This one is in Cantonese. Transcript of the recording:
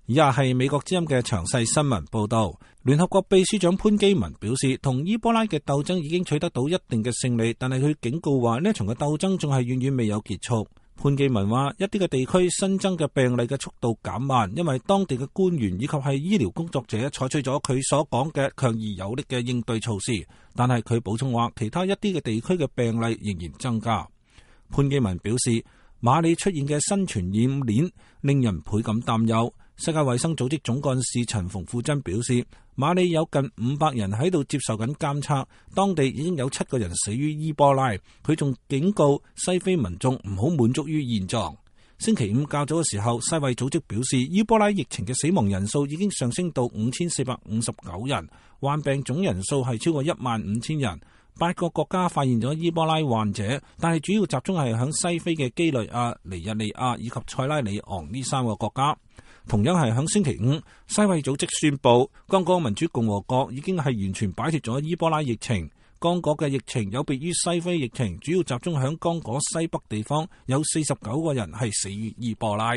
以下係美國之音嘅詳細新聞報道。聯合國秘書長潘基文表示，同伊波拉嘅鬥爭已經取得到一定嘅勝利，但係佢警告話呢一場嘅鬥爭仲係遠遠未有結束。潘基文話，一啲嘅地區新增嘅病例嘅速度減慢，因為當地嘅官員以及係醫療工作者採取咗佢所講嘅強而有力嘅應對措施，但係佢補充話，其他一啲嘅地區嘅病例仍然增加。潘基文表示，馬里出現嘅新傳染鏈令人倍感擔憂。世界衛生組織總幹事陳馮富珍表示，馬里有近500人喺度接受緊監測，當地已經有7個人死於伊波拉。佢仲警告西非民眾唔好滿足於現狀。星期五較早嘅時候，世衛組織表示，伊波拉疫情嘅死亡人數已經上升到5459人，患病總人數係超過15000人。8個國家發現咗伊波拉患者，但係主要集中係響西非嘅基雷亞、尼日利亞以及塞拉利昂呢3個國家。同樣係響星期五，世衛組織宣布，剛果民主共和國已經係完全擺脫咗伊波拉疫情。剛果嘅疫情有別於西非疫情，主要集中響剛果西北地方，有49個人係死於伊波拉。